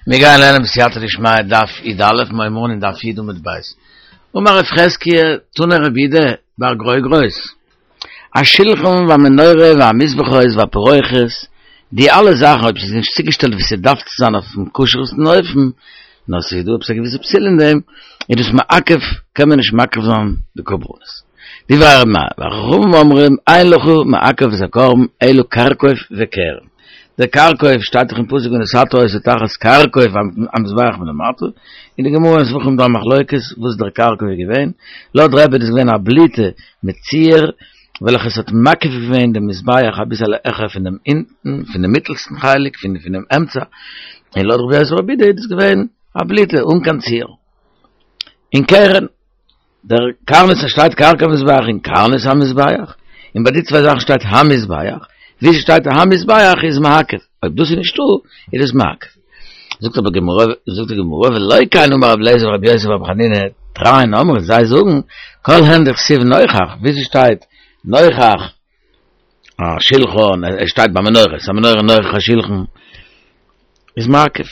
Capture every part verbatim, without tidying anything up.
מיר גייען לערנען בסייעתא דשמיא דף י"א, מיר הייבן אן אין דף י' עמוד ב'. אמר רב חזקיה, תנא רבי יהודה בר גרוגרות, השלחן והמנורה והמזבחות והפרוכת, די אלע זאכן אויב ס'איז נישט צוגעשטעלט ווי ס'דארף צו זיין אויפן כשר'סטן אופן, נאר ס'איז דא עפעס א געוויסע פסול אין דעם, איז דאס מעכב, קען מען נישט מקריב זיין די קרבנות. דברי ר' מאיר, וחכמים אומרים, אין לך מעכב את הקרבן אלא כרכוב וקרן. דער כרכוב שטייט דאך אין פסוק ונתתה אותו תחת כרכוב המזבח מלמטה, אין די גמרא אין זבחים דא א מחלוקת וואס דער כרכוב איז געווען, לויט רבי איז דאס געווען א בליטה מיט ציור וועלכע עס האט מקיף געווען דעם מזבח אביסעלע העכער פון דעם אונטן, פון דעם מיטלסטן חלק, פון דעם אמצע, און לויט רבי יוסי ברבי יהודה איז דאס געווען א בליטה אן קיין ציור. און קרן. דער קרנות שטייט כרכוב המזבח און קרנות המזבח, און ביי די צוויי זאכן שטייט המזבח, ווי ס'שטייט המזבח איז מעכב, אויב דאס איז נישטא איז דאס מעכב. זאגט אבער גמרא, זאגט די גמרא ולא כן אמר רבי אליעזר ורבי יוסי ברבי חנינא תרין אמרי, זיי זאגן כל הן דכתיב נוכח, ווי ס'שטייט נוכח השלחן, עס שטייט ביי מנורת, המנורה נוכח השלחן, איז מעכב,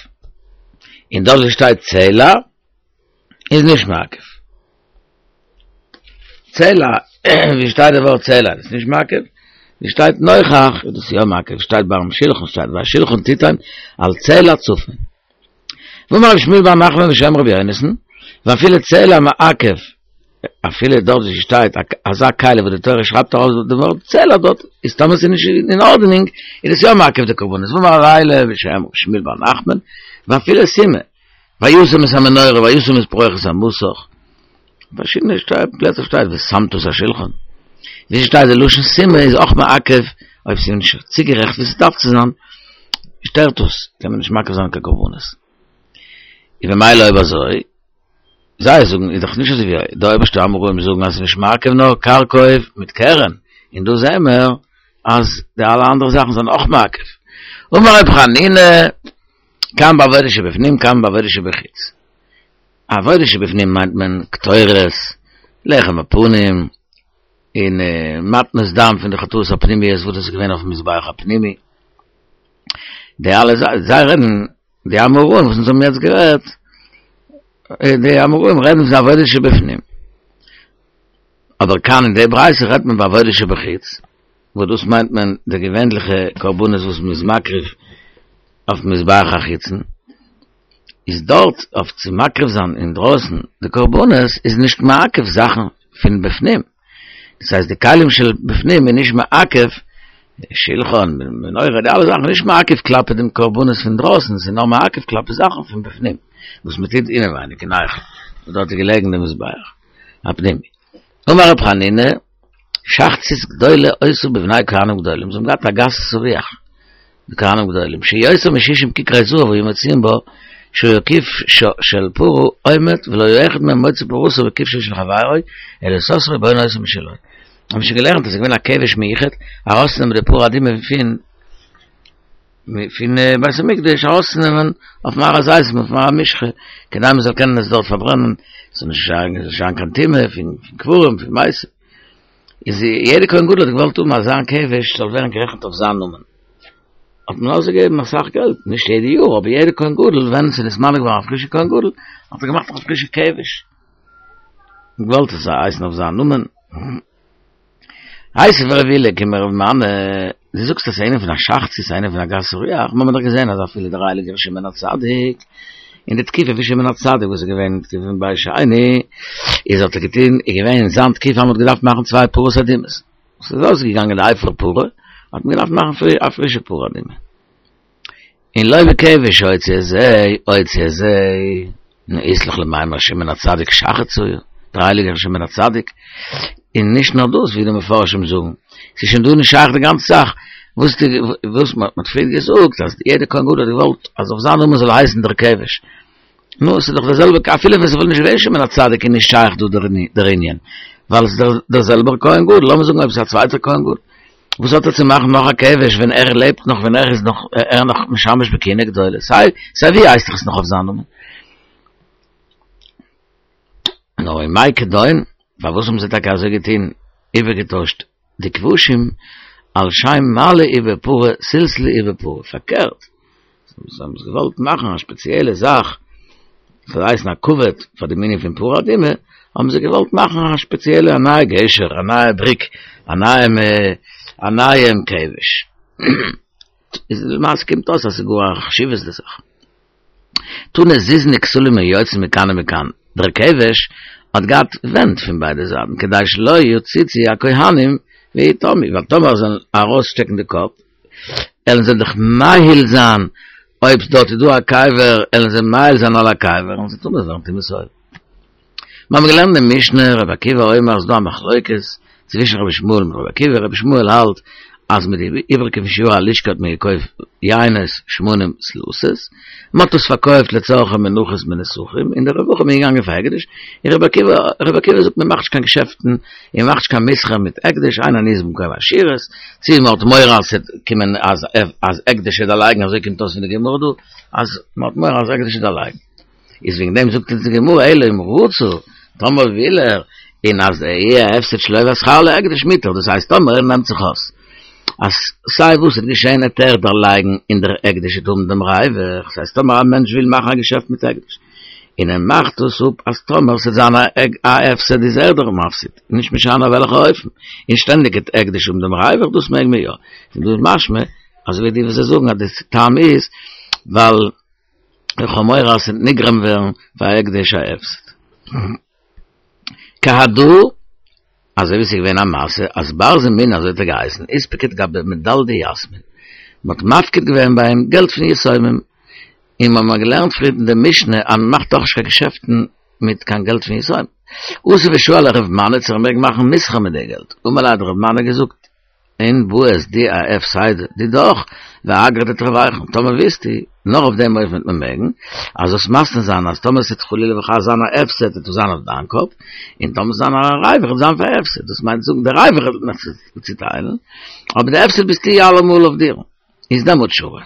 און דארט ווי ס'שטייט צלע איז נישט מעכב. צלע, ווי שטייט די ווארט צלע, איז נישט מעכב, ווי שטייט נוכח, איז דאס יא מעכב, שטייט ביים שלחן, שטייט והשלחן תיתן על צלע צפון. ואמר רב שמואל בר נחמן בשם רבי יונתן, ואפילו צלע מעכב, אפילו דארט ווי שטייט אזא כלי וואס די תורה שרייבט ארויס די ווארט צלע דארט, איז טאמער ס'איז נישט אין ארדענונג, איז עס יא מעכב די קרבנות. ואמר רב אילא בשם רב שמואל בר נחמן, ואפילו סומא, וישם את המנורה וישם את פרוכת המסך, פארשידענע פלעצער שטייט ושמת את השלחן, ווי ס'שטייט די לשון סומא איז אויך מעכב, אויב ס'איז נישט צוגערעכט ווי ס'דארף צו זיין, שטערט עס, קען מען נישט מקריב זיין קיין קרבנות. און במילא אויב אזוי, זיי זאגן איז דאך נישט אזוי ווי די אויבערשטע אמוראים זאגן אז ס'איז נישט מעכב נאר כרכוב מיט קרן, און דא זעען מיר אז די אלע אנדערע זאכן זענען אויך מעכב. אמר רבי חנינא, כאן בעבודה שבפנים כאן בעבודה שבחוץ. עבודה שבפנים מיינט מען קטורת, לחם הפנים, און מתנות דם פון די חטאות הפנימיות וואס דאס איז געווען אויפן מזבח הפנימי. די אלע זיי רעדן, די אמוראים וואס אונז האבן יעצט גערעדט, די אמוראים רעדן פון עבודה שבפנים. אבער כאן אין די ברייתא רעדט מען בעבודה שבחוץ, וואס דאס מיינט מען די געווענליכע קרבנות וואס מען איז מקריב אויפן מזבח החיצון, איז דארט אויף צו מקריב זיין אינדרויסן די קרבנות איז נישט מעכב זאכן פון בפנים, דאס הייסט די כלים של בפנים איז נישט מעכב, שלחן, מנורה, די אלע זאכן איז נישט מעכב כלפי דעם קרבנות פון דרויסן, ס'איז נאר מעכב כלפי זאכן פון בפנים, וואס מען טוט אינעווייניג אין היכל, וואס דארט איז געלעגן די מזבח הפנימי. אמר רב חנינא, שחצית גדולה היתה בבני כהנים גדולים, זיי האבן געהאט א גסות הרוח, די כהנים גדולים, שיותר משישים ככרי זהב היו מוציאים בה, שהיה כבשה של פרה עומד ולא היה אחד מהם מוציא פרתו בכבשו של חברו, אלא סותרו ובונה אותה משלו. האבן שוין געלערנט אז עס איז געווען א כבש מיוחד, ארויסצונעמען די פרה אדומה פון פון בית המקדש ארויסצונעמען אויפן הר הזיתים אויפן הר המשחה, כדי מען זאל קענען עס דארט פארברענען, עס זאל נישט זיין קיין טומאה פון קברים פון מתים. איז יעדער כהן גדול האט געוואלט האבן אז זיין כבש זאל ווערן גערעכנט אויף זיין נאמען, האט מען אויסגעגעבן אסאך געלט, נישט יעדע יאר, אבער יעדער כהן גדול ווען ס'איז נתמנה געווארן א פרישע כהן גדול, האט ער געמאכט א פרישע כבש, געוואלט עס זאל הייסן אויף זיין נאמען. איתיביה רב עולא קומי רב מני, דו זאגסט אז ס'איז ענין פון א שחצית, ס'איז ענין פון א גסות רוח, מיר האבן דאך געזען אז אפילו דער הייליגער שמעון הצדיק, אין די תקופה פון שמעון הצדיק וואס איז געווען אין תקופה פון בית שני, איז האט ער געטון, איז געווען אין זיין תקופה אז מ'האט געדארפט מאכן צוויי פרות אדומות, ס'איז אויסגעגאנגען די אפר פרה, האט מען געדארפט מאכן א פרישע פרה אדומה. און לא בכבש הוציא את זה, הוציא את זה, נו אית לך למימר שמעון הצדיק שחץ היה, דער הייליגער שמעון הצדיק, און נישט נאר דאס ווי די מפרשים זאגן, ס'איז שוין דא נישט שייך די גאנצע זאך, וואס די וואס מען האט פריער געזאגט אז יעדער כהן גדול האט געוואלט אז אויף זיין נאמען זאל הייסן דער כבש, נו ס'איז דאך דער זעלבער אפילו ווען ס'וואלט נישט געווען שמעון הצדיק איז נישט שייך דא דער ענין, ווייל ס'איז דער זעלבער כהן גדול, לאמיר זאגן אויב ס'איז א צווייטער כהן גדול, וואס האט ער צו מאכן נאך א כבש ווען ער לעבט נאך ווען ער איז נאך ער נאך משמש בכהונה גדולה, סיי סיי ווי הייסט דאך עס נאך אויף זיין נאמען. נאר ומאי כדון, פארוואס האבן זיי טאקע אזוי געטון איבערגעטוישט די כבשים על שם מעלה עובר פרה סלסלו עובר פרה, פארקערט, זיי האבן געוואלט מאכן א ספעציעלע זאך, ס'זאל הייסן א כבוד פאר דעם ענין פון פרה אדומה, האבן זיי געוואלט מאכן א ספעציעלע א נייע גשר, א נייע בריק, א נייעם א נייעם כבש. איז למעשה קומט אויס אז ס'איז גאר א חשיבות'דיגע זאך. תנא זיזין וכתלים היוצאים מכאן ומכאן, דער כבש האט געהאט ווענט פון ביידע זייטן כדי שלא יציצו הכהנים ויטמאו, ווייל טאמער זיי וועלן ארויסשטעקן די קאפ עלן זיי דאך מאהיל זיין, אויב דארט איז דא א קבר עלן זיי מאהיל זיין על הקבר און זיי טמא ווערן טומאת אוהל. מיר האבן געלערנט אין משנה רבי עקיבא אומר ס'איז דא א מחלוקת צווישן רבי ישמעאל מיט רבי עקיבא, רבי ישמעאל האלט אז מיט די איבריגע פון שיורי הלשכה האט מען געקויפט יינות שמנים סלתות, מען האט עס פארקויפט לצרכי מנחות מיט נסכים, און די רווחים איז געגאנגען פאר הקדש, און רבי עקיבא רבי עקיבא זאגט מען מאכט נישט קיין געשעפטן און מען מאכט נישט קיין מסחר מיט הקדש, אין עניות במקום עשירות, צו מען האט מורא אז ס'וועט קומען אז אז הקדש וועט דערלייגן אזוי קומט אויס פון די גמרא דא אז מען האט מורא אז הקדש וועט דערלייגן. איז וועגן דעם זאגט אונז די גמרא אלא אם רצה, טאמער וויל ער, און אז יהיה ההפסד שלו והשכר להקדש מותר, דאס הייסט טאמער ער נעמט זיך אויס אז סיי וואס וועט געשען עט ער דערלייגן און דער הקדש וועט האבן דעם ריווח, דאס הייסט טאמער א מענטש וויל מאכן א געשעפט מיט הקדש און ער מאכט דאס אפ אז טאמער ס'וועט זיין א הפסד איז ער דער מפסיד, נישט משנה אויף וועלכע אופן, און שטענדיג וועט הקדש האבן דעם ריווח, דאס מעג מען יא. פון דא איז משמע אזוי ווי די וואס זיי זאגן אז די טעם איז ווייל איך האב מורא אז ס'וועט נגרם ווערן פאר הקדש א הפסד. כי הדא, אזוי ווי ס'איז געווען א מעשה אז בר זמינא אזוי האט ער געהייסן איתפקיד גביה מדלדי יתמין, מ'האט מפקיד געווען ביי אים געלט פון יתומים, און מ'האט געלערנט פריער אין די משנה אז מ'מאכט דאך נישט קיין געשעפטן מיט קיין געלט פון יתומים. אתא ושאל לרב מני צו ער מעג מאכן מסחר מיט די געלט, אמר ליה האט רב מני געזאגט, אין בעית די אהפסדא דידך ואגרא דתרווייכו, טאמער ווילסטו, נאר אויף דעם אופן וועט מען מעגן, אז זאלסט מתנה זיין אז טאמער ס'וועט חלילה וחס זיין א הפסד וועט עס זיין אויף דיין קאפ, און טאמער ס'וועט זיין א ריווח וועט זיין פאר הפסד, דאס מיינט זאגן די ריווח וועט מען זיך צוטיילן, אבער די הפסד ביסטו אלעמאל אויף דיר, איז דעמאלט שרי.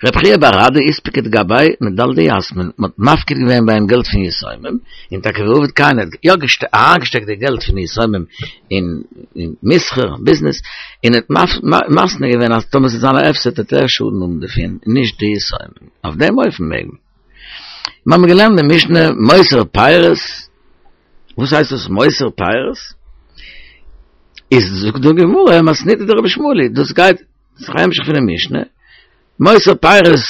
רבי חייא בר אדא איתפקיד גביה מדלדי יתמין, מען האט מפקיד געווען ביי אים געלט פון יתומים, און טאקע ועביד כן, ער האט יא אריינגעשטעקט די געלט פון יתומים אין מסחר, ביזנעס, און האט מתנה געווען אז טאמער ס'וועט זיין א הפסד וועט ער שאדן האבן דערפון, און נישט די יתומים. אויף דעם אופן מעג מען. מיר האבן געלערנט די משנה מותר פירות, וואס הייסט דאס מותר פירות? איז זאגט די גמרא מתניתא דרבי ישמעאל היא, דאס גייט ס'איז א המשך פונעם משנה, מותר פירות,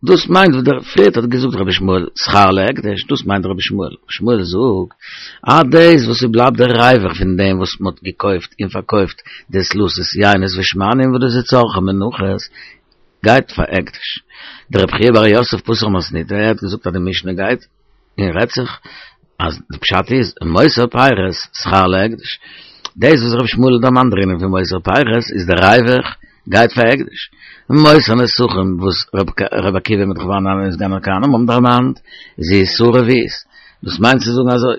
דאס מיינט וואס דער פריערט האט געזאגט רבי ישמעאל שכר להקדש, דאס מיינט רבי ישמעאל, רבי ישמעאל זאגט אז דאס וואס ס'בלייבט דער ריווח פון דעם וואס מ'האט געקויפט און פארקויפט די סלתות יינות ושמנים וואס דאס איז צרכי מנחות גייט פאר הקדש. דרבי חייא בר יוסף פתח מתניתא, ער האט געזאגט אז די משנה גייט און רעדט זיך אז די פשט איז מותר פירות שכר להקדש, דאס וואס רבי ישמעאל האט דערמאנט דערינען פון מותר פירות איז די ריווח גייט פאר הקדש, מותר נסכים וואס רבי עקיבא מיט רבי חנניה סגן הכהנים האבן דערמאנט איז איסור רביעית, דאס מיינט צו זאגן אזוי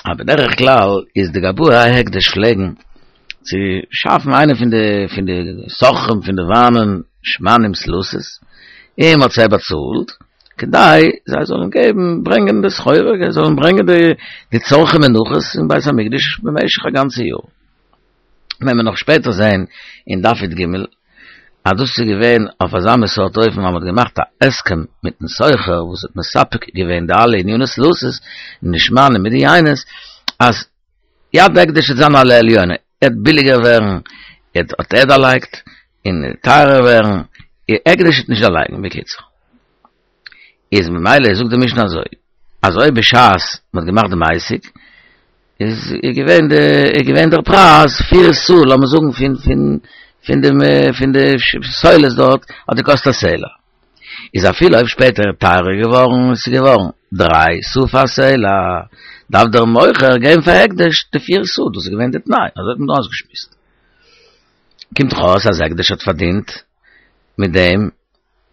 אז בדרך כלל איז די גבאי ההקדש פלעגן צו שאפן איינע פון די פון די סוחרים פון די וויינען שמנים סלתות און מען האט זיי באצאלט כדי זיי זאלן געבן ברענגען די סחורה, זיי זאלן ברענגען די די צרכי מנחות אין בית המקדש במשך א גאנצע יאר. וועלן מיר נאך שפעטער זען אין דף י"ג אז דאס איז געווען אויף אזא מין סארט אופן אז מען האט געמאכט א הסכם מיטן סוחר וואס האט מספק געווען די אלע עניני סלתות און די שמנים מיט די יינות אז יד הקדש וועט זיין על העליונה, עט ביליגער ווערן, עט האט ער דערלייגט, און טייערער ווערן, הקדש וועט נישט דערלייגן, בקיצור. איז ממילא זאגט די משנה אזוי, אז אויב בשעת מען האט געמאכט דעם עסק, איז געווען די, איז געווען דער פרייז פיר סאה, לאמיר זאגן פון פון פון דעם פון די סולת דארט האט געקאסט א סלע. איז אפילו אויב שפעטער איז טייערער געווארן, עס איז געווארן דריי סאה פאר סלע, דארף דער מוכר געבן פאר הקדש די פיר סאה, דאס איז געווען די תנאי, אזוי האט מען דא אויסגעשמועסט. קומט דאך אויס אז הקדש האט פארדינט מיט דעם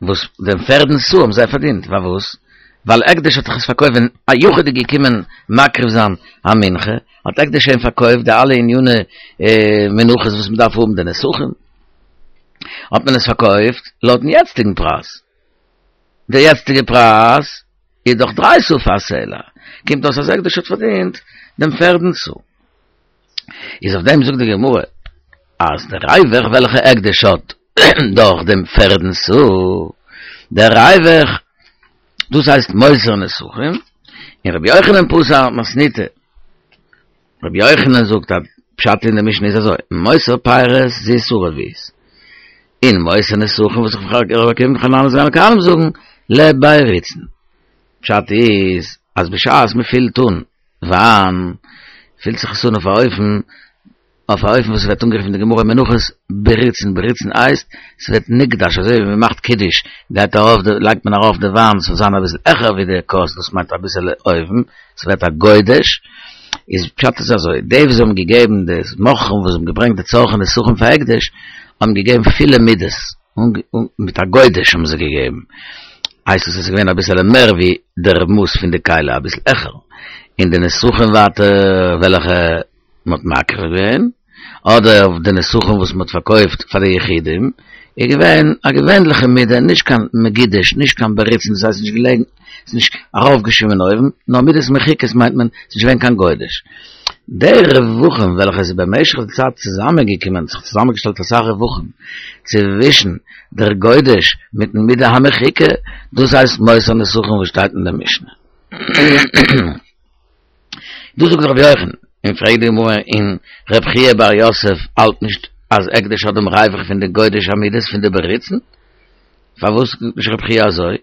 וואס דעם פערדן סאה האבן זיי פארדינט, פארוואס? ווייל הקדש האט דאך עס פארקויפט ווען א יחיד איז געקומען מקריב זיין א מנחה, האט הקדש שוין פארקויפט די אלע עניני מנחות וואס מען דארף האבן די נסכים, האט מען עס פארקויפט לויטן יעצטיגן פרייז, די יעצטיגע פרייז איז דאך דריי סאה פאר א סלע, קומט אויס אז הקדש האט פארדינט דעם פערדן סאה. איז אויף דעם זאגט די גמרא אז די ריווח וועלכע הקדש האט דורך דעם פערדן סאה, דער ריווח, דאס הייסט מותר נסכים, און רבי יוחנן פתר מתניתא. רבי יוחנן זאגט אז פשט אין די משנה איז אזוי, מותר פירות זו סאה רביעית. און מותר נסכים וואס רבי עקיבא מיט חנניה סגן הכהנים זאגן, לבריצן. פשט איז אז בשעת מען פילט אן וויין, פילט זיך עס אן אויף א אופן, אויף א אופן וואס ווערט אנגערופן אין די גמרא אין מנחות בריצן, בריצן הייסט ס'ווערט נגדש, אזוי ווי מען מאכט קידוש גייט ארויף די לייגט מען ארויף די וויין ס'זאל זיין אביסל העכער ווי די כוס, דאס מיינט אביסעלע אויבן, ס'ווערט א גודש, איז פשט איז אזוי, די וואס האבן געגעבן די מוכרים וואס האבן געברענגט די צרכי נסכים פאר הקדש, האבן געגעבן פילע מידות, מיט א גודש האבן זיי געגעבן, הייסט עס איז געווען אביסעלע מער ווי דער מאס פון די כלי, אביסל העכער, און די נסכים ווייטער וועלכע מען האט מקריב געווען, אדער די נסכים וואס מען האט פארקויפט פאר די יחידים, איז געווען א געווענליכע מידה, נישט קיין מגודש, נישט קיין בריצן, דאס הייסט נישט געלעגן, ס'איז נישט ארויפגעשווימען אויבן, נאר מידות מחוכות מיינט מען, ס'איז נישט געווען קיין גודש. די רווחים וועלכע איז במשך די צייט צוזאמענגעקומען, זיך צוזאמענגעשטעלט אסאך רווחים, צווישן דער גודש מיטן מידה המחוקה, דאס הייסט מותר נסכים וואס שטייט אין די משנה. דאס זאגט רבי יוחנן, און פרעגט די גמרא און רב חייא בר יוסף האלט נישט אז הקדש האט דעם ריווח פון די גודש המידות פון די בריצן? פארוואס זאגט נישט רב חייא אזוי?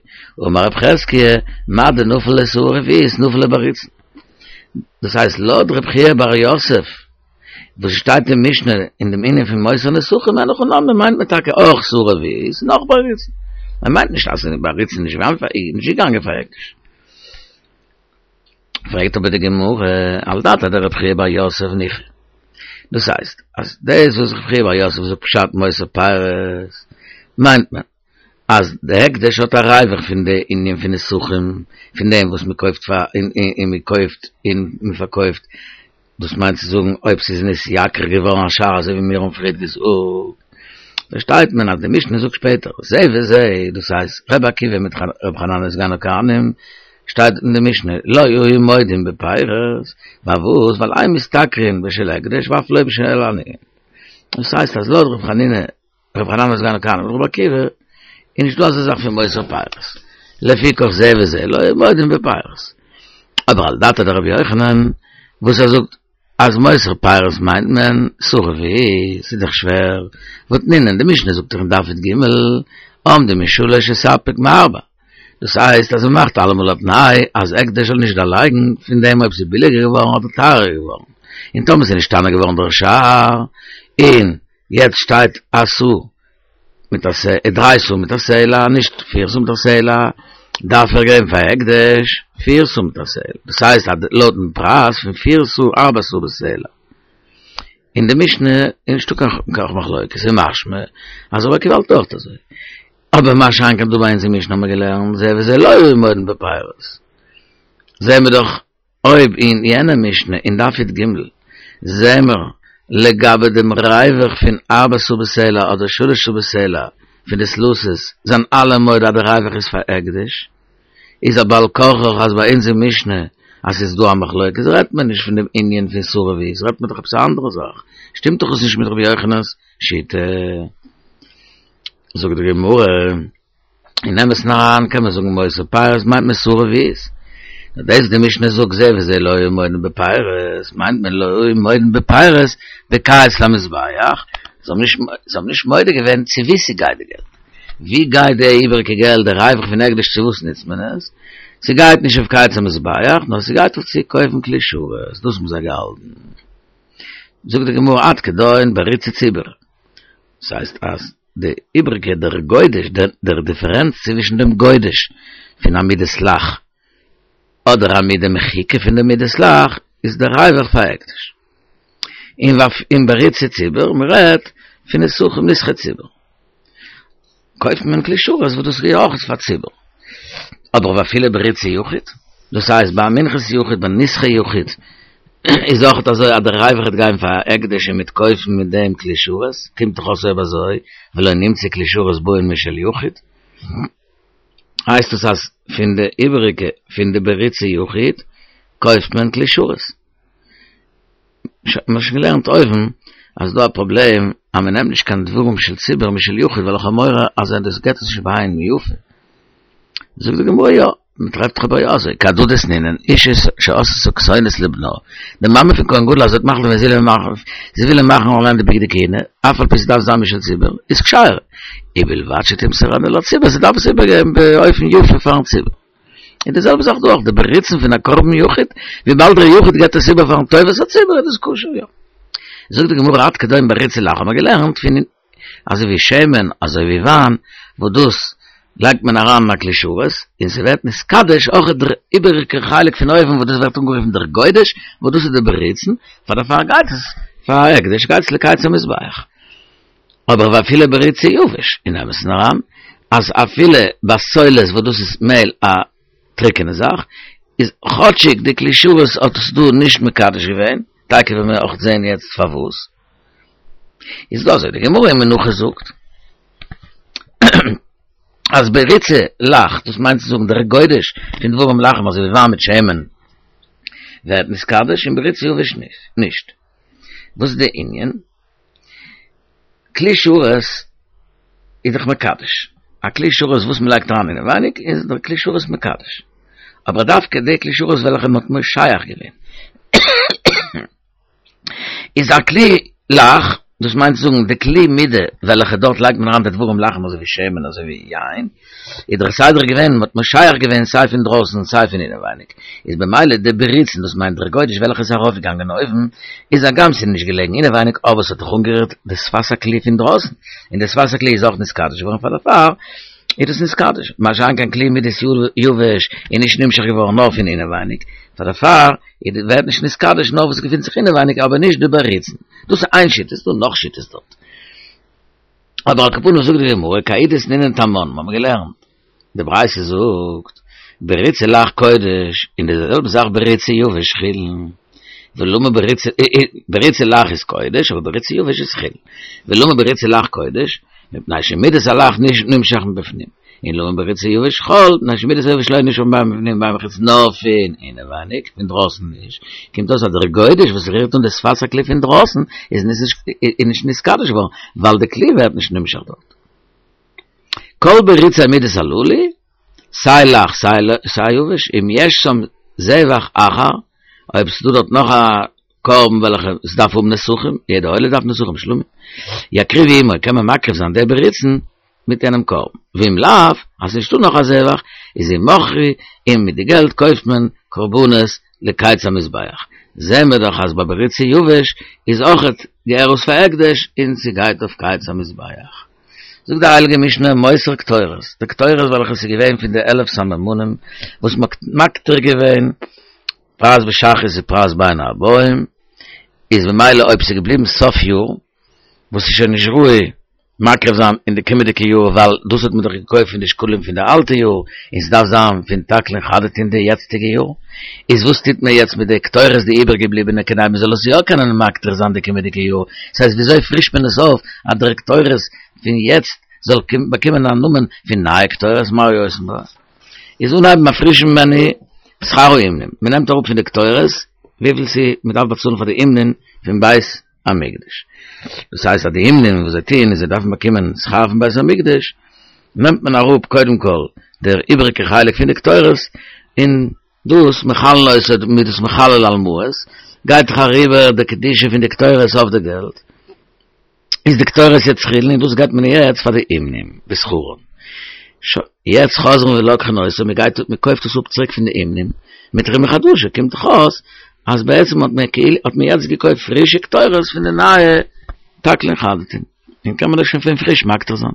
אמר רב חזקיה, מה דנפל ליה סאה רביעית נפל ליה בריצן. דאס הייסט לויט רב חייא בר יוסף וואס שטייט אין משנה אין דעם ענין פון מותר נסכים אין הכי נמי מיינט מען טאקע אויך סאה רביעית און אויך בריצן. מען מיינט נישט אז בריצן איז נישט געגאנגען פאר הקדש. פרעגט אבער די גמרא, על דעתיה דרב חייא בר יוסף ניחא. דאס הייסט, אז דאס וואס רב חייא בר יוסף זאגט פשט מותר פירות, מיינט מען, אז די הקדש האט א ריווח פון די ענין פון נסכים, פון דעם וואס מען קויפט פאר און מען קויפט און מען פארקויפט, דאס מיינט צו זאגן אויב ס'איז נתייקר געווארן השער אזוי ווי מיר האבן פריערט געזאגט, פארשטייט מען אז די משנה זאגט שפעטער זה וזה, דאס הייסט ר' עקיבא מיט ר' חנניה סגן הכהנים, שטייט אין די משנה לא היו מודים בפירות, פארוואס? ווייל אין משתכרין בשל הקדש ואף לא בשל עניים, דאס הייסט אז לויט ר' חנינא ר' חנניה סגן הכהנים און ר' עקיבא איז נישטא אזא זאך פון מותר פירות, לפיכך זה וזה לא היו מודים בפירות. אבער על דעתיה דרבי יוחנן וואס ער זאגט אז מותר פירות מיינט מען סאה רביעית, ס'איז דאך שווער, והתנינן, די משנה זאגט דאך אין דף י"ג, עומדים משלש וספק מארבע, דאס הייסט אז מ'מאכט אלעמאל א תנאי אז הקדש זאל נישט דערלייגן פון דעם אויב ס'איז ביליגער געווארן אדער טייערער געווארן, און טאמער ס'איז נשתנה געווארן דער שער, און יעצט שטייט א סאה מיט א סלע, דריי סאה מיט א סלע, נישט פיר סאה מיט א סלע, דארף ער געבן פאר הקדש פיר סאה מיט א סלע, דאס הייסט אז לויטן פרייז פון פיר סאה ארבע סאה בסלע. אין די משנה איז נישטא קיין מחלוקת, ס'איז משמע אז רבי עקיבא האלט אויך אזוי. אבער מה שאין כן דא ביי אונז אין משנה האבן מיר געלערנט זה וזה לא היו מודים בפירות. זעהן מיר דאך אויב אין יענע משנה אין דף י"ג זעהן מיר לגבי דעם ריווח פון ארבע סאה בסלע אדער שלש סאה בסלע פון די סלתות זענען אלע מודה אז די ריווח איז פאר הקדש, איז א בעל כרחך אז ביי אונז אין משנה אז ס'איז דא א מחלוקת רעדט מען נישט פון דעם ענין פון סאה רביעית רעדט מען דאך עפעס א אנדערע זאך, שטימט דאך עס נישט מיט רבי יוחנן'ס שיטה. זאגט די גמרא. אין אמת'ן אריין קען מען זאגן מותר פירות מיינט מען סאה רביעית. נאר דאס וואס די משנה זאגט זה וזה לא היו מודים בפירות מיינט מען לא היו מודים בפירות בקיץ למזבח, זיי האבן נישט זיי האבן נישט מודה געווען צו וואו ס'גייט די געלט. ווי גייט די איבעריגע געלט די ריווח פון הקדש צו וואס נוצט מען עס? ס'גייט נישט אויף קיץ המזבח נאר ס'גייט אויף צו קויפן כלי שרת, דאס האבן זיי געהאלטן. זאגט די גמרא עד כדון בריצי ציבור. ס'הייסט אז די איבריגע דער גודש דער דיפערענץ צווישן דעם גודש פון א מידת לח אדער א מידה מחוקה פון די מידת לח איז דער ריווח פאר הקדש. און און בריצי ציבור מ'רעדט פון נסכים נסכי ציבור קויפט מען כלי שרת וואס דאס איז אויך פאר ציבור. אבער ואפילו בריצי יחיד, דאס הייסט ביי מנחת יחיד ביי נסכי יחיד, איז אויך אזוי אז דער ריווח וועט גיין פאר הקדש און מ'וועט קויפן מיט דעם כלי שרת, קומט דאך אויס אויב אזוי ולא נמצאו כלי שרת באין משל יחיד, הייסט עס אז פון די איבעריגע פון די בריצי יחיד קויפט מען כלי שרת. מ'האט שוין געלערנט אויבן אז ס'דא א פראבלעם אז מ'נעמט נישט קיין דברים של ציבור משל יחיד ווייל איך האב מורא אז דאס געט עס נישט בעין יפה. זאגט די גמרא יא, מען טרעפט דאך אבער יא אזוי, כי הדא דתנינן, אשה שעשתה כתונת לבנה, די מאמע פון כהן גדול אז זי האט מחליט געווען זי וויל מאכן, זי וויל אים מאכן אליין די בגדי כהונה, אף על פי ס'דארף זיין משל ציבור, איז כשרה, ובלבד שתמסרנה לציבור, זי דארף עס איבערגעבן באופן יפה פארן ציבור. און די זעלבע זאך דא אויך, די בריצן פון א קרבן יחיד, וויבאלד דער יחיד געבט עס איבער פארן טובת הציבור איז דאס כשר יא. זאגט די גמרא עד כדון בריצה לח האט מען געלערנט פון אזוי ווי שמן אזוי ווי וויין וואס דאס לייגט מען אריין אין א כלי שרת און ס'ווערט נתקדש אויך דער איבעריגע חלק פון אויבן וואס דאס ווערט אנגערופן דער גודש וואס דאס איז די בריצן פאר דערפאר גייט עס פאר הקדש גייט עס לקיץ המזבח אבער ואפילו בריצי יבש אין אמת'ן אריין אז אפילו בסולת וואס דאס איז מעל א טריקענע זאך איז כאטשיג די כלי שרת האט עס דא נישט מקדש געווען טאקע וועלן מיר אויך זעהן יעצט פארוואס איז דא אזוי די גמרא אין מנחות זאגט אז בריצה לח דאס מיינט צו זאגן דער גודש פון דברים לחים אזוי ווי וויין מיט שמן ווערט נתקדש און בריצה יבש נישט וואס איז די ענין כלי שרת איז דאך מקדש א כלי שרת וואס מען לייגט אריין אינעווייניג איז דער כלי שרת מקדש אבער דווקא די כלי שרת וועלכע מען האט מושח געווען איז א כלי לח, דאס מיינט צו זאגן די כלי מידה וועלכע דארט לייגט מען אריין די דברים לחים אזוי ווי שמן אזוי ווי יין, איז דער סדר געווען מען האט מושח געווען סיי פון דרויסן סיי פון אינעווייניג, איז במילא די בריצן דאס מיינט דער גודש וועלכע איז ארויפגעגאנגען אויבן, איז הגם ס'איז נישט געלעגן אינעווייניג אבער ס'האט דאך אנגערירט די שפת הכלי פון דרויסן, און די שפת הכלי איז אויך נתקדש געווארן פאר דערפאר איז דאס נתקדש, מה שאין כן כלי מידת יבש איז נישט נמשח געווארן נאר פון אינעווייניג, פאר דערפאר איז ווערט נישט נתקדש נאר וואס געפינט זיך אינעווייניג אבער נישט די בריצן. דאס איז איין שיטה, ס'איז דא נאך שיטות דארט. אבער על כל פנים זאגט די גמרא כי ההיא דתנינן תמן, מיר האבן געלערנט, די ברייתא זאגט, בריצי לח קודש, און די זעלבע זאך בריצי יבש חולין, ולמה בריצי, בריצי לח איז קודש, אבער בריצי יבש איז חולין. ולמה בריצי לח קודש, מפני שמידת הלח נמשך מבפנים. און למה בריצי יבש חול, מפני שמידת היבש לא נמשך בין מבפנים ובין מבחוץ נאר פון אינעווייניג, פון דרויסן נישט, קומט אויס אז דער גודש וואס רירט אן די שפת הכלי פון דרויסן איז נישט נתקדש געווארן, ווייל די כלי ווערט נישט נמשך דארט. כל בריצי מידות הללו, סיי לח סיי יבש, אם יש שם זבח אחר, אויב ס'דא דארט נאך א קרבן וועלכע עס דארף האבן נסכים, יעדע עולה דארף נסכים שלמים, יקריבו עמו, קען מען מקריב זיין די בריצן מיט יענעם קרבן, ואם לאו, אז ס'נישטא נאך א זבח, איז ימכרו, און מיט די געלט קויפט מען קרבנות לקיץ המזבח. זעהן מיר דאך אז ביי בריצי יבש איז אויכעט געהערט עס פאר הקדש און ס'גייט אויף קיץ המזבח. זאגט די הייליגע משנה מותר קטורת, די קטורת וועלכע ס'איז געווען פון די עלף סממנים וואס מ'האט מקטיר געווען פרס בשחרית ופרס בין הערבים, איז ממילא אויב ס'איז געבליבן סוף יאר, וואס איז שוין נישט ראוי מקריב זיין אין די קומענדיגע יאר ווייל דאס האט מען דאך געקויפט פון די שקלים פון די אלטע יאר און ס'דארף זיין פון תקלין חדתין די יעצטיגע יאר, איז וואס טוט מען יעצט מיט די קטורת די איבערגעבליבענע כדי מען זאל עס יא קענען מקטיר זיין די קומענדיגע יאר, ס'הייסט וויאזוי פרישט מען עס אויף אז דער קטורת פון יעצט זאל באקומען א נאמען פון נייע קטורת מה עושין בה? איז אנהייבן א פרישן מני שכר האומנים, מען נעמט אראפ פון די קטורת וויפיל ס'איז מען דארף באצאלן פאר די אומנים פון בית המקדש, דאס הייסט אז די אומנים וואס זיי טוען איז זיי דארפן באקומען שכר פון בית המקדש, נעמט מען אראפ קודם כל דער איבעריגע חלק פון די קטורת, און דאס מחללין אותו מ'איז דאס מחלל על מעות, גייט דאך אריבער די קדושה פון די קטורת אויף די געלט. איז די קטורת יעצט חולין און דאס געבט מען יעצט פאר די אומנים בשכרן. שוין, יעצט חוזרין ולוקחין אותו, מען גייט מען קויפט עס אפ צוריק פון די אומנים מיט תרומה חדשה, קומט דאך אויס אז בעצם האט מען כאילו האט מען יעצט געקויפט פרישע קטורת פון די נייע תקלין חדתין, און קען מען דאס שוין פון פריש מקטיר זיין.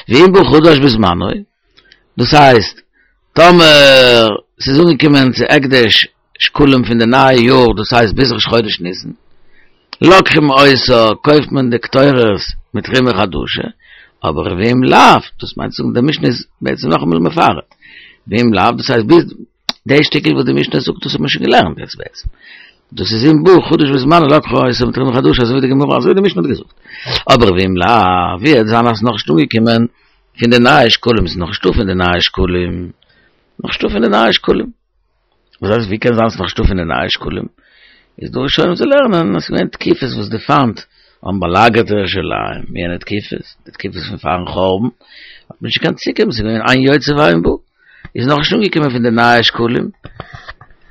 ואם בא חדש בזמנו, דאס הייסט טאמער ס'איז אנגעקומען צו הקדש שקלים פון די נייע יאר דאס הייסט ביז ראש חודש ניסן, לוקחים אותה, קויפט מען די קטורת מיט תרומה חדשה, אבער ואם לאו, דאס מיינט צו זאגן די משנה איז בעצם נאכאמאל מפרט, ואם לאו דאס הייסט ביז די שטיקל וואס די משנה זאגט דאס האט מען שוין געלערנט יעצט בעצם, דאס איז אם בא חדש בזמנו לוקחים אותה מיט תרומה חדשה אזוי ווי די גמרא אזוי ווי די משנה האט געזאגט, אבער ואם לאו, ווי עט זיין אז ס'איז נאכנישט אנגעקומען פון די נייע שקלים, ס'איז נאכנישטא פון די נייע שקלים, נאכנישטא פון די נייע שקלים. וואס הייסט ווי קען זיין ס'איז נאכנישטא פון די נייע שקלים? איז דא ראשונים צו לערנען אז ס'איז געווען תקופות וואס די פיינט האבן באלאגערט ירושלים, יענע תקופות, די תקופות פון פארן חורבן, האט מען נישט געקענט צוקומען, ס'איז געווען אין יוצא ואין בא. איז נאך נישט אנגעקומען פון די נייע שקלים,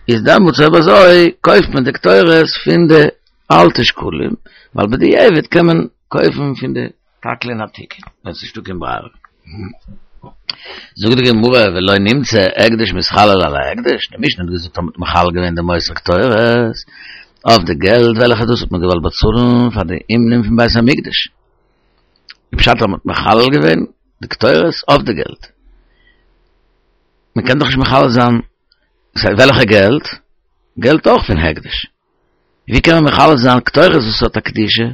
איז דעמאלטס אויב אזוי קויפט מען די קטורת פון די אלטע שקלים, ווייל בדיעבד קען מען קויפן פון די תקלין עתיקין, ווען ס'איז נישטא קיין ברירה. זאגט די גמרא ולא נמצא הקדש מתחלל על ההקדש, די משנה האט געזאגט אז מ'האט מחלל געווען די מותר קטורת אויף די געלט וועלכע דאס האט מען געוואלט באצאלן פאר די אומנים פון בית המקדש, די פשט אז מ'האט מחלל געווען די קטורת אויף די געלט, מ'קען דאך נישט מחלל זיין וועלכע געלט? געלט אויך פון הקדש. ווי קען מען מחלל זיין קטורת וואס האט א קדושה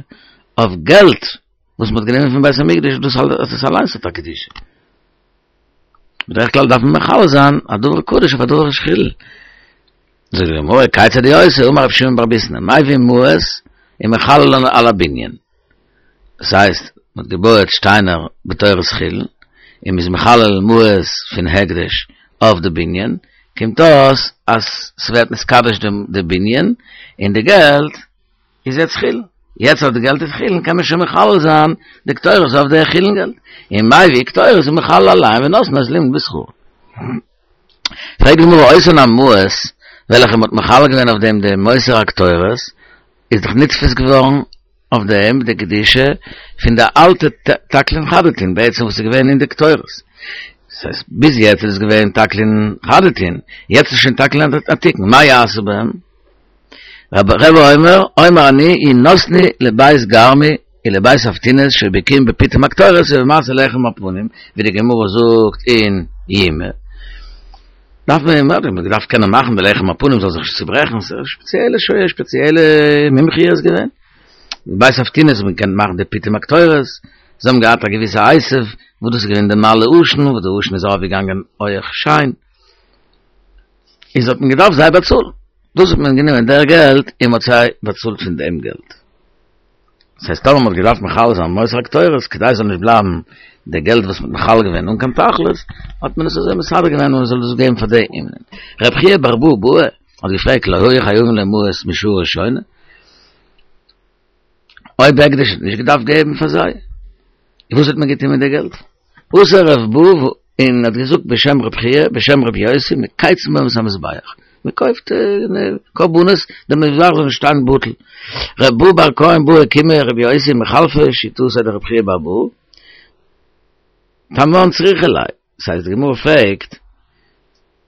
אויף געלט וואס מ'האט גענומען פון בית המקדש דאס דאס אליינס האט א קדושה? בדרך כלל דארף מען מחלל זיין א דבר קדוש אויף א דבר של חולין. זאגט די גמרא, כיצד הוא עושה, אמר רבי שמעון בר ביסנא, מביא מעות ומחללן על הבנין. דאס הייסט, מ'האט געבויעט שטיינער בתורת חולין, און מ'איז מחלל מעות פון הקדש אויף די בנין, קומט אויס אז ס'ווערט נתקדש די בנין, און די געלט איז יעצט חולין. יעצט אז די געלט איז חולין קען מען שוין מחלל זיין די קטורת אויף די חולין געלט. און מביא קטורת ומחלל עליהן ונותנו את לאומנין בשכרן. פרעגט די גמרא אותן המעות וועלכע מ'האט מחלל געווען אויף דעם די מותר הקטורת, איז דאך נתפס געווארן אויף דעם די קדושה פון די אלטע תקלין חדתין בעצם וואס איז געווען אין די קטורת, דאס הייסט ביז יעצט איז עס געווען תקלין חדתין, יעצט איז שוין תקלין עתיקין, מה יעשה בהם? רבי אומר, אומר אני ינתנו לבית גרמי ולבית אבטינס שהיו בקיאים בפיטום הקטורת ובמעשה לחם הפנים, ווי די גמרא זאגט אין יומא. דארף מען מען דארף קענען מאכן די לחם הפנים זאל זיך נישט צוברעכן, ס'איז שפעציעלע שוה שפעציעלע מומחיות געווען. בית אבטינס האט מען געקענט מאכן די פיטום הקטורת, זיי האבן געהאט א געוויסע עשב וואס דאס איז געווען די מעלה עשן, וואס די עשן איז ארויפגעגאנגען הויעך שיין, איז האט מען געדארפט זיי באצאלן, דאס האט מען גענומען דער געלט און מען האט זיי באצאלט פון דעם געלט. דאס הייסט טאמער מען האט געדארפט מחלל זיין מותר הקטורת כדי עס זאל נישט בלייבן די געלט וואס מען האט מחלל געווען אן קיין תכלית, האט מען עס אזוי מסדר געווען אז מען זאל דאס געבן פאר די אומנים. רב חייא בר אבוה בעי האט געפרעגט לא היו חייבין לו מעות משעה ראשונה, אויב הקדש האט נישט געדארפט געבן פאר זיי, וואס האט מען געטון מיט די געלט? אתא רב בו און האט געזאגט בשם רב חייא בשם רבי יוסי מקייצין בהם את המזבח, מען קויפט קרבנות די מזבח זאל נישט שטיין בטל. רב בו בר כהן בעא קומי רבי יוסי מחלפא שיטתיה דרב חייא בר אבוה, תמן צריכא ליה, דאס הייסט די גמרא פרעגט,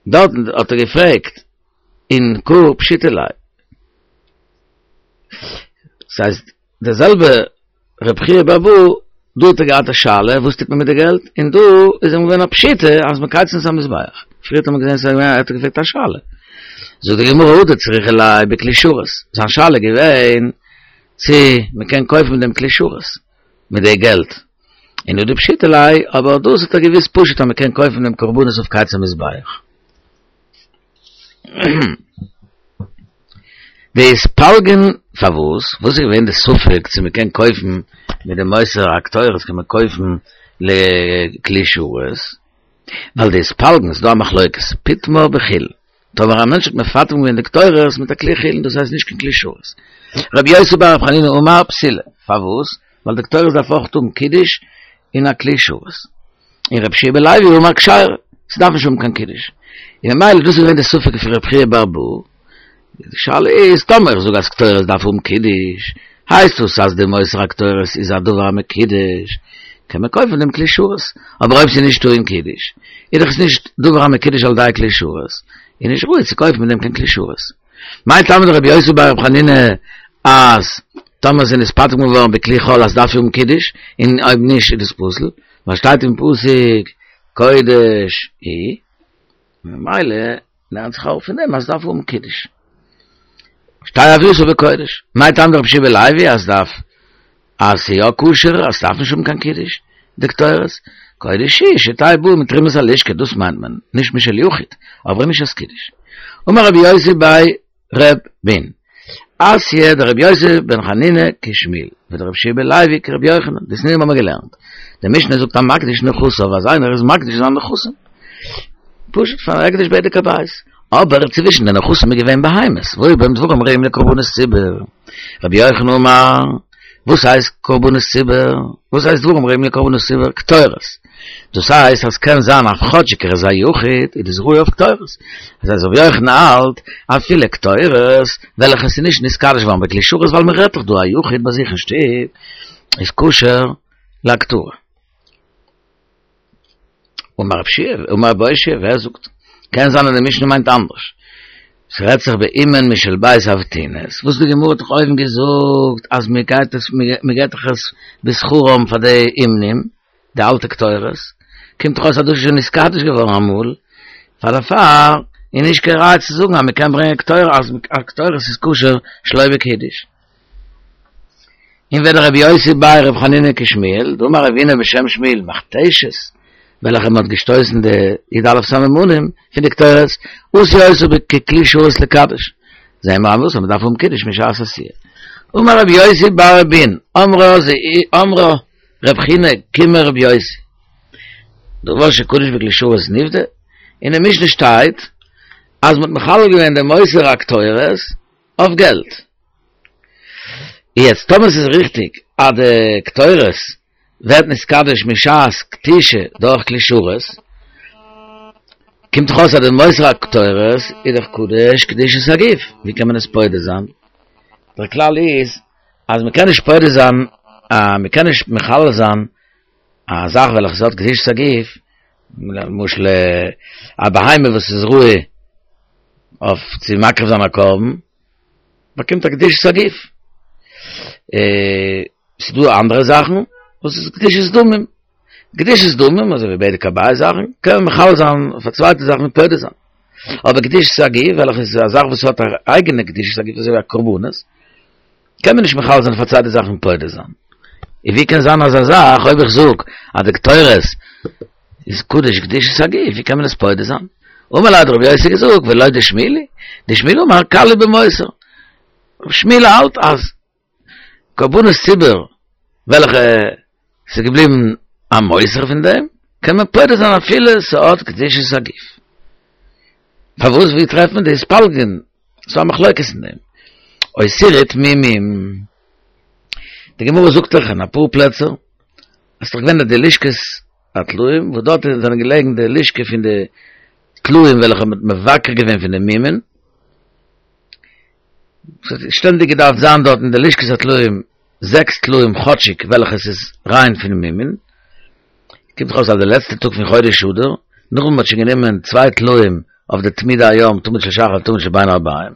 דארטן האט ער געפרעגט און קא פשיטא ליה, דאס הייסט די זעלבע רב חייא בר אבוה, דא האט ער געהאט א שאלה וואס טוט מען מיט די געלט, און דא איז אים געווען א פשיטא אז מקייצין את המזבח, פריער האט מען געזען ס'איז געווען ער האט געפרעגט א שאלה, זאגט די גמרא הא דצריכא ליה בכלי שרת, זיין שאלה איז געווען צו מען קען קויפן מיט דעם כלי שרת מיט די געלט, און הא דפשיטא ליה, אבער דאס האט ער געוואוסט פשוט אז מען קען קויפן דעם קרבנות אויף קיץ המזבח. דאיתפלגון פארוואס? וואס איז געווען די ספק צו מען קען קויפן מיט די מותר הקטורת קען מען קויפן לכלי שרת? ווייל דאיתפלגון ס'דא א מחלוקת פיטמה בחולין טאמער א מענטש האט מפטם געווען די קטורת מיט א כלי חולין דאס הייסט נישט קיין כלי שרת. רבי יוסי בר רבי חנינא אמר פסולה פארוואס? ווייל די קטורת דארף אויך האבן קידוש אין א כלי שרת. און רבי יהושע בן לוי אמר כשרה, ס'דארף נישט האבן קיין קידוש. און ממילא דאס איז געווען די ספק פון רבי חייא בר אבוה. די שאלה איז, טאמער איך זאג אז קטורת דארף האבן קידוש, הייסט דאס אז די מותר הקטורת איז א דבר המקודש, קען מען קויפן דעם כלי שרת. אבער אויב ס'איז נישט טעון קידוש, איז דאך עס נישט דבר המקודש על ידי כלי שרת, איז נישט ראוי צו קויפן מיט דעם קיין כלי שרת. מאי טעמא דרבי יוסי בר רבי חנינא אז טאמער ס'איז נתפטם געווארן בכלי חול אז דארף האבן קידוש, און אויב נישט איז דאס פסול, ווייל שטייט אין פסוק קודש הוא, ממילא לערנט זיך אראפ פון דעם אז דארף האבן קידוש. שתהא הוייתו בקודש. מאי טעמא דרבי יהושע בן לוי אז דארף אז ס'איז יא כשר אז ס'דארף נישט האבן קיין קידוש, די קטורת, קודש הוא שתהא באה מתרומת הלשכה דאס מיינט מען, נישט משל יחיד, אבער נישט אלס קידוש. אמר רבי יוסי בי ר' בון, אתיא דרבי יוסי בן חנינא כשמואל, ודרבי יהושע בן לוי כרבי יוחנן, דתנן האבן מיר געלערנט, די משנה זאגט המקדיש נכסיו אז איינער איז מקדיש זיין נכסים, פשוט פאר הקדש בדק הבית, אבער צווישן די נכסים איז געווען בהמות, והיו בהם דברים ראויים לקרבנות ציבור, רבי יוחנן אמר, וואס הייסט קרבנות ציבור? וואס הייסט דברים ראויים לקרבנות ציבור? קטורת. דאס הייסט, אז קען זיין אויף כאטשיג ער איז א יחיד, איז דאס ראוי אויף קטורת. דאס הייסט, רבי יוחנן האלט, אפילו קטורת, וועלכע איז נישט נתקדש געווארן בכלי שרת, ווייל מען רעדט דאך דא א יחיד ביי זיך אין שטוב, איז כשר להקטרה. אמר רב שיע, אמר רב אושעיא, ווער זאגט? קען זיין אז די משנה מיינט אנדערש. ס'רעדט זיך באומן משל בית אבטינס, וואס די גמרא האט דאך אויבן געזאגט אז מען גייט עס, מען געט דאך עס בשכרם פאר די אומנים, די אלטע קטורת, קומט דאך אויס אז דאס איז שוין נתקדש געווארן אמאל, פאר דערפאר איז נישט קיין ראיה צו זאגן אז מען קען ברענגען קטורת, אז קטורת איז כשר שלא בקידוש. און ווען רבי יוסי בי רבי חנינא כשמואל, דאמר רב הונא בשם שמואל מכתשת, וועלכע מען האט געשטויסן די י"א סממנים פון די קטורת, עשו אותה ככלי שרת לקדש. זעהן מיר אז מען דארף האבן קידוש משעת עשיה. אמר רבי יוסי בר אבין, אמרה אמרה רב חינא קומי רבי יוסי. דבר שקודש בכלי שרת נפדה, אין די משנה שטייט אז מען האט מחלל געווען דעם מותר הקטורת אויף געלט. יעצט טאמער ס'איז ריכטיג אז די קטורת ווערט נתקדש משעת כתישה דורך כלי שרת, קומט דאך אויס אז די מותר הקטורת איז דאך קדוש קדושת הגוף, ווי קען מען עס פודה זיין? דער כלל איז אז מען קען נישט פודה זיין, מען קען נישט מחלל זיין א זאך וועלכע ס'האט קדושת הגוף, למשל א בהמה וואס איז ראוי אויף צו מקריב זיין א קרבן, באקומט א קדושת הגוף. ס'איז דא אנדערע זאכן וואס איז קדושת דמים. קדושת דמים, אזוי ווי בדק הבית זאכן, קען מען מחלל זיין אויף א צווייטע זאך און פודה זיין. אבער קדושת הגוף, וועלכע איז א זאך וואס האט א אייגענע קדושת הגוף, אזוי ווי א קרבנות, קען מען נישט מחלל זיין אויף א צווייטע זאך און פודה זיין. און ווי קען זיין אזא זאך, אויב איך זאג אז די קטורת איז קדוש קדושת הגוף, ווי קען מען עס פודה זיין? אמר ליה האט רבי יוסי געזאגט, ולא דשמואל היא, דשמואל אמר קל היא במותר. שמואל האלט אז קרבנות ציבור וועלכע ס'איז געבליבן א מותר פון דעם, קען מען פודה זיין אפילו ס'האט קדושת הגוף. פארוואס ווי טרעפט מען דאס פלגין? ס'איז א מחלוקת אין דעם. אותירי תמימים. די גמרא זאגט דאך אין אפאר פלעצער אז ס'איז דאך געווען די לשכת הטלאים, וואס דארט זענען געלעגן די לשכה פון די טלאים וועלכע מ'האט מבקר געווען פון די מומין, ס'האט שטענדיג געדארפט זיין דארט אין די לשכת הטלאים זעקס טלאים כאטשיג וועלכע ס'איז ריין פון מומין, קומט דאך אויס אז די לעצטע טאג פון חודש אדר, נאכדעם מ'האט שוין גענומען צוויי טלאים אויף די תמידי היום, תמיד של שחר תמיד של בין הערביים,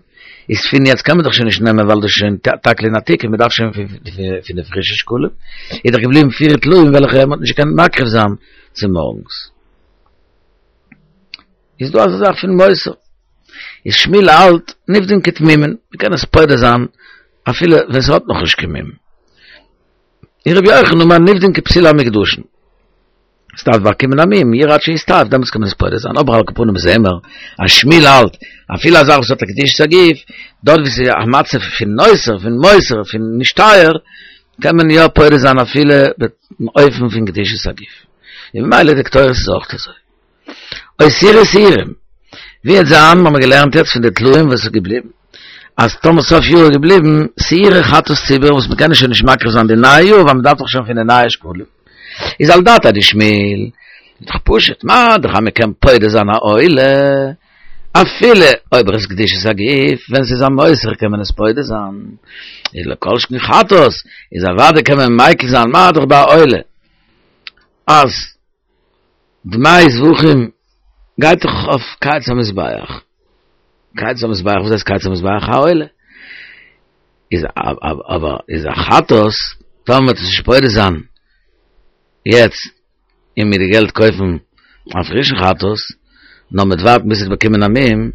איז פון יעצט קען מען דאך שוין נישט נעמען ווייל דאס איז שוין תקלין עתיקא, מ'דארף שוין פון די פרישע שקלים, איז דאך געבליבן פיר טלאים וועלכע מ'האט נישט געקענט מקריב זיין צומארגנס. איז דא אזא זאך פון מותר? איז שמואל האלט נפדין כתמימין, מ'קען עס פודה זיין אפילו ווען ס'האט נאכנישט קיין מום. און רבי יוחנן אמר נפדין כפסולי המוקדשין. ס'דארף באקומען א מום, ירעה עד שיסתאב, דעמאלטס קען מען עס פודה זיין, אבער על כל פנים זעהן מיר אז שמואל האלט אפילו א זאך וואס האט א קדושת הגוף, דארט וואו ס'איז א מצב פון נותר, פון מותר, פון נישט טייער, קען מען יא פודה זיין אפילו באופן פון קדושת הגוף. און ממילא די קטורת איז אויך אזוי. אותירו שעירים, ווי וועט זיין, האבן מיר געלערנט יעצט פון די טלאים וואס איז געבליבן, אז טאמער סוף יאר איז געבליבן שעירי חטאת ציבור וואס מ'קען שוין נישט מקריב זיין די נייע יאר ווייל מ'דארף דאך שוין פון די נייע שקלים, איז על דעתיה דשמואל, איז דאך פשוט, מה דאך אז מ'קען פודה זיין א עולה, אפילו אויב ער איז קדושת הגוף, ווען ס'איז א מותר קען מען עס פודה זיין, איז לא כל שכן חטאת, איז אוודאי קען מען מיקל זיין מה דאך ביי א עולה, אז דמי זבחים גייט דאך אויף קיץ המזבח, קיץ המזבח, וואס הייסט קיץ המזבח? א עולה. איז אבער איז א חטאת, טאמער מ'וועט עס נישט פודה זיין יעצט און מיט די געלט קויפן א פרישן חטאת, נאר מ'וועט ווארטן ביז ס'וועט באקומען א מום,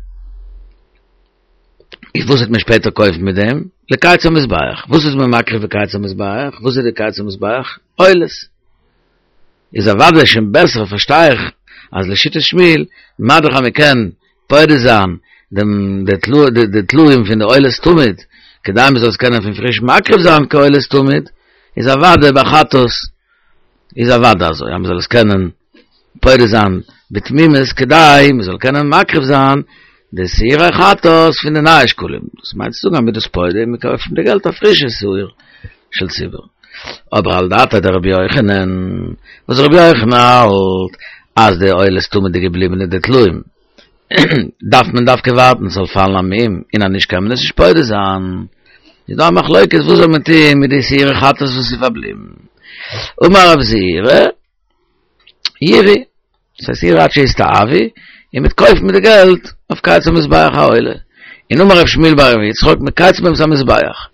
איז וואס וועט מען שפעטער קויפן מיט דעם? לקיץ המזבח. וואס איז מען מקריב בקיץ המזבח? וואס איז די קיץ המזבח? עולות. איז אוודאי שוין בעסער פארשטיי איך אז לשיטת שמואל מה דאך אז מען קען פודה זיין דעם די טלאים פון די עולת תמיד כדי מען זאל עס קענען פון פריש מקריב זיין כעולת תמיד איז אוודאי ביי חטאת איז אוודאי אזוי אז מען זאל עס קענען פודה זיין בתמימות כדי מען זאל קענען מקריב זיין די שעירי חטאת פון די נייע שקלים דאס מיינט צו זאגן אז מען איז דאס פודה און מען קויפט פון די געלט א פרישע שעיר של ציבור. אבער על דעתיה דרבי יוחנן, וואס רבי יוחנן האלט אז די עולות טמא די געבליבענע די טלאים דארף מען דווקא ווארטן ס'זאל פאלן א מום און אז נישט קען מען עס נישט פודה זיין. איז דא א מחלוקת וואס זאל מען טוהן מיט די שעירי חטאת וואס איז פארבליבן. אמר רב זירא, ירעו, דאס הייסט ירעו עד שיסתאבו, און מ'וועט קויפן מיט די געלט אויף קיץ המזבח א עולה. און אמר רב שמואל בר רב יצחק מקייצין בהם את המזבח.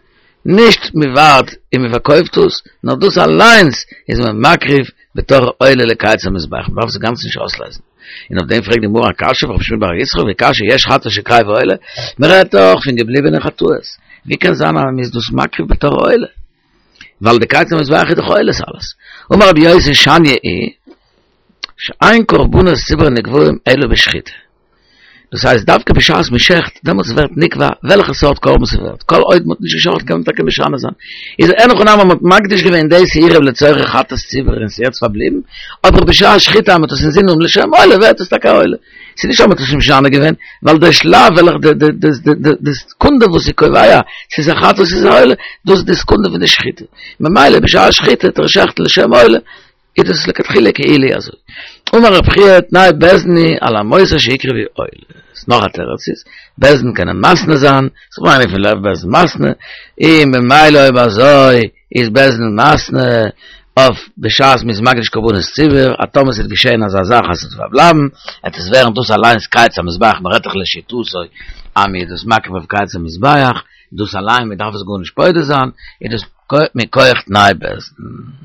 נישט מען ווארט און מען פארקויפט עס, נאר דאס אליינס איז מען מקריב בתור עולה לקיץ המזבח, מען דארף עס אינגאנצן נישט אויסלייזן. און אויף דעם פרעגט די גמרא א קשיא אויף רב שמואל בר יצחק וקשיא יש חטאת שקריבה עולה, מען רעדט דאך פון געבליבענע חטאות, ווי קען זיין אז מען איז דאס מקריב בתור עולה? ווייל די קיץ המזבח איז דאך עולות אלעס. אמר רבי יוסי שניא היא שאין קרבנות ציבור נקבעים אלא בשחיטה. דאס הייסט דווקא בשעת מען שעכט, דעמאלטס ווערט נקבע וועלכע סארט קרבן ס'ווערט, כל עוד מ'האט נישט געשאכטן קען מען טאקע משנה זיין. איז אין הכי נמי מ'האט מקדיש געווען די שעירים לצורך חטאת ציבור און ס'יעצט פארבליבן, אבער בשעת שחיטה אז מ'האט עס אינזין און לשם עולה ווערט עס טאקע א עולה. ס'איז נישט אז מ'האט עס משנה געווען, ווייל די שלב וועלכע די די די די די סעקונדע וואס איז קובע צו ס'איז א חטאת צו ס'איז א עולה, דאס איז די סעקונדע פון די שחיטה. ממילא בשעת שחיטה טוט ער שעכטן לשם עולה, איז דאס לכתחילה כאילו אזוי. אמר רב חייא תנאי בית דין הוא על המותר שיקרבו עולות. נאך א תירוץ איז, בית דין קענען מתנה זיין, ס'איז געווען איינער פון לב בית דין מתנה, און ממילא אויב אזוי איז בית דין מתנה אויף בשעת מ'איז מקדיש קרבנות ציבור, אז טאמער ס'וועט געשען אזא זאך אז ס'וועט פארבלייבן, עט עס ווערן דאס אליינס קיץ המזבח, מ'רעדט דאך לשיטתו אז מ'איז דאס מקריב אויף קיץ המזבח, דאס אליין מ'דארף עס גארנישט פודה זיין, איז דאס מכח תנאי בית דין.